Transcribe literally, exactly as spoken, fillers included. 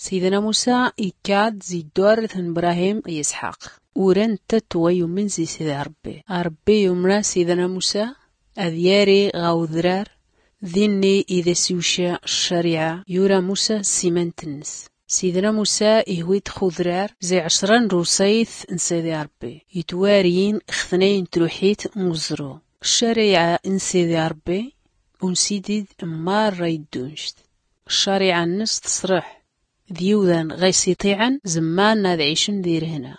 Sidna musa ikkad zi dwarret n brahim d isḥaq. Ura netta twayumen zi sidi ṛebbi. Ṛebbi yumra sidna musa ad yari ɣa udrar. Dinni i d as iwca ccariɛa. Yura musa s imant nnes. Sidna musa ihwi-t x udrar zi ɛecra n lwṣayt n sidi ṛebbi itwariyin x tnayen n truḥit n uẓru. Ccariɛa n sidi ṛebbi unsidid n marra iddunct. Ccariɛa nnes teṣreḥ d yiwdan ɣa is iṭiɛen zemmaren ad ɛicen di rhna.